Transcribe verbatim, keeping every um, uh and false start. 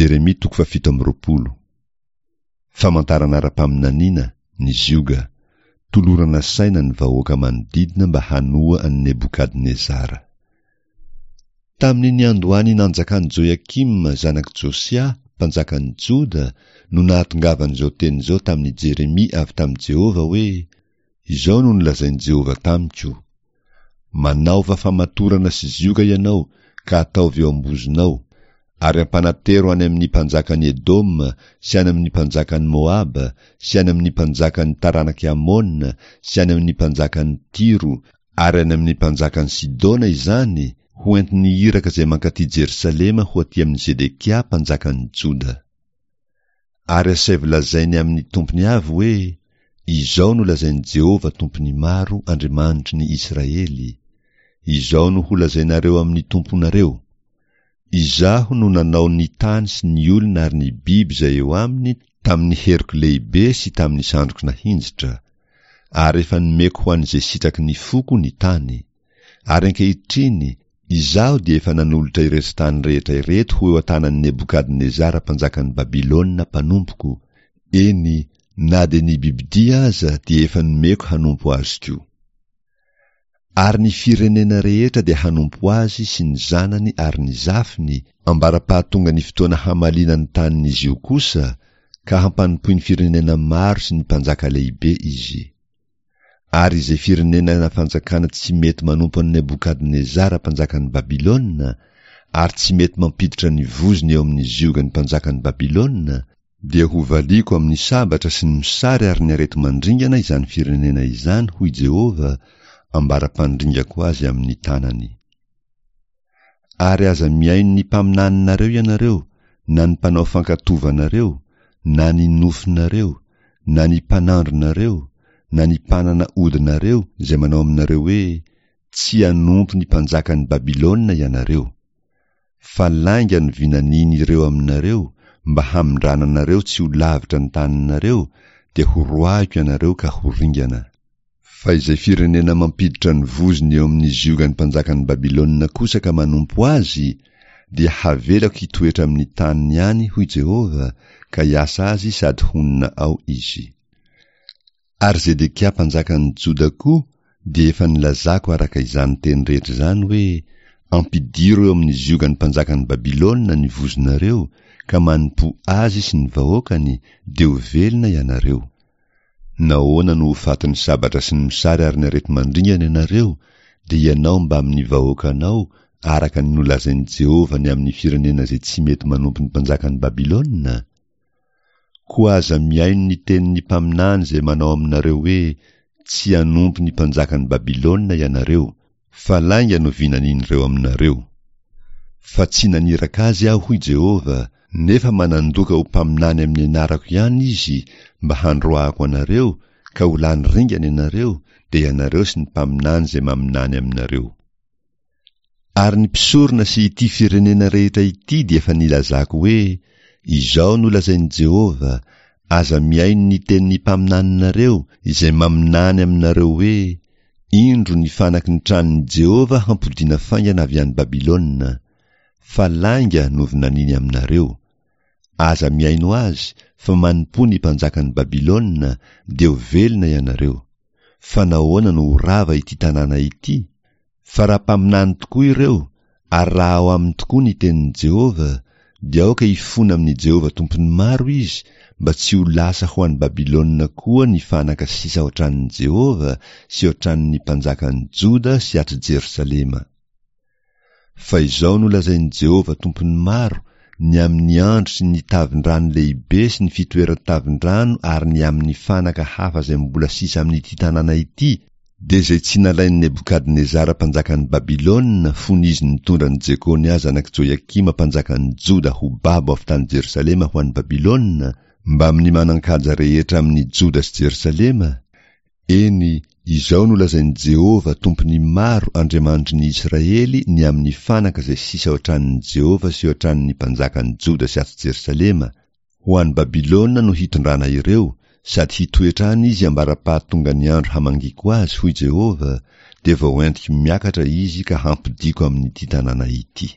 Jeremia toko fahafito amby roapolo. Famantarana ara-paminaniana, ny zioga. Tolorana saina ny vahoaka manodidina mba hanoa an'i Nebokadnezara. Tamin'ny niandohan'ny nanjakan'i Joiakima zanak'i Josia, mpanjakan'i Joda, no nahatongavan'izao teny izao tamin'i Jeremia avy tamin'i Jehovah hoe, Izao no nolazain'i Jehovah tamiko, Manaova famatorana sy zioga ianao ka ataovy eo am-bozonao, ary ampanatero any amin'ny mpanjakan'i Edoma sy any amin'ny mpanjakan'i Moaba sy any amin'ny mpanjakan'ny taranak'i Amona sy any amin'ny mpanjakan'i Tyro ary any amin'ny mpanjakan'i Sidona izany, ho entin'ny iraka izay mankaty Jerosalema ho aty amin'i Zedekia mpanjakan'i Joda. Ary asaivo lazainy amin'ny tompony avy hoe, Izao no lazain'i Jehovah Tompon'ny maro, Andriamanitry ny Israely, Izao no holazainareo amin'ny tomponareo, Izaho no nanao ny tany sy ny olona ary ny biby izay eo aminy tamin'ny heriko lehibe sy tamin'ny sandriko nahinjitra, ary efa nomeko ho an'izay sitraky ny foko ny tany. Ary ankehitriny, izaho dia efa nanolotra ireto tany rehetra ireto ho eo an-tanan'i Nebokadnezara mpanjakan'i Babylona mpanompoko, eny, na dia ny bibidia aza dia efa nomeko hanompo azy koa. Ary ny firenena rehetra dia hanompo azy sy ny zanany ary ny zafiny, ambara-pahatonga ny fotoana hamaliana ny tanin'izy io kosa, ka hampanompoin'ny firenena maro sy ny mpanjaka lehibe izy. Ary izay firenena na fanjakana tsy mety manompo an'i Nebokadnezara mpanjakan'i Babylona, ary tsy mety mampiditra ny vozony eo amin'ny ziogan'ny mpanjakan'i Babylona, dia hovaliako amin'ny sabatra sy ny mosary ary ny areti-mandringana izany firenena izany, hoy Jehovah, ambara-pandringako azy amin'ny tanany. Ary aza mihaino ny mpaminaninareo ianareo, na ny mpanao fankatovanareo, na ny nofinareo, na ny mpanandronareo, na ny mpanana odinareo izay manao aminareo hoe, Tsy hanompo ny mpanjakan'i Babylona ianareo. Fa lainga no vinanian'ireo aminareo, mba hamindrana anareo tsy ho lavitra ny taninareo, dia horoahiko ianareo ka ho ringana. Fa izay firenena mampiditra ny vozony eo amin'ny ziogan'ny mpanjakan'i Babylona kosa ka manompo azy, dia havelako hitoetra amin'ny taniny ihany, hoy Jehovah, ka hiasa azy sady honina ao izy. Ary Zedekia mpanjakan'ny Joda koa dia efa nilazako araka izany teny rehetra izany hoe, Ampidiro eo amin'ny ziogan'ny mpanjakan'i Babylona ny vozonareo, ka manompoa azy sy ny vahoakany, dia ho velona ianareo. Nahoana no ho fatin'ny sabatra sy ny mosary ary ny areti-mandringana ianareo, dia ianao mbamin'ny vahoakanao, araka ny nolazain'i Jehovah ny amin'ny firenena izay tsy mety manompo ny mpanjakan'i Babylona? Koa aza mihaino ny tenin'ny mpaminany izay manao aminareo hoe, Tsy hanompo ny mpanjakan'i Babylona ianareo, fa lainga no vinanin'ireo aminareo. Fa tsy naniraka azy Aho, hoy Jehovah, nefa manandoka ho mpaminany amin'ny anarako ihany izy mba handroahako anareo, ka ho lany ringana ianareo, dia ianareo sy ny mpaminany izay maminany aminareo. Ary ny mpisorona sy ity firenena rehetra ity dia efa nilazako hoe, Izao no lazain'i Jehovah, Aza mihaino ny tenin'ny mpaminaninareo izay maminany aminareo hoe, Indro ny fanaky ny tranon'i Jehovah hampodiana faingana avy any Babylona. Fa lainga no vinaniny aminareo. Aza mihaino azy, fa manompoa ny mpanjakan'i Babylona, dia ho velona ianareo. Fa nahoana no ho rava ity tanàna ity? Fa raha mpaminany tokoa ireo, ary raha ao aminy tokoa ny tenin'i Jehovah, dia aoka hifona amin'i Jehovah Tompon'ny maro izy, mba tsy ho lasa ho any Babylona koa ny fanaka sisa ao an-tranon'i Jehovah sy ao an-tranon'ny mpanjakan'i Joda sy ato Jerosalema. Fa izao no lazain'i Jehovah Tompon'ny maro, ny amin'ny andro sy ny tavin-drano lehibe sy ny fitoeran-tavin-drano ary ny amin'ny fanaka hafa izay mbola sisa amin'ity tanàna ity, dia izay tsy nalain'i Nebokadnezara mpanjakan'i Babylona fony izy nitondra an'i Jekonia zanak'i Joiakima mpanjakan'i Joda ho babo avy tany Jerosalema ho any Babylona, mbamin'ny manan-kaja rehetra amin'i Joda sy Jerosalema, eny, izao no lazain'i Jehovah Tompon'ny maro Andriamanitry ny Israely ny amin'ny fanaka izay sisa ao an-tranon'i Jehovah sy ao an-tranon'ny mpanjakan'i Joda sy ato Jerosalema, Ho any Babylona no hitondrana ireo, sady hitoetra any izy ambara-pahatongan'ny andro hamangiako azy, hoy Jehovah, dia vao entiko miakatra izy ka hampodiako amin'ity tanàna ity.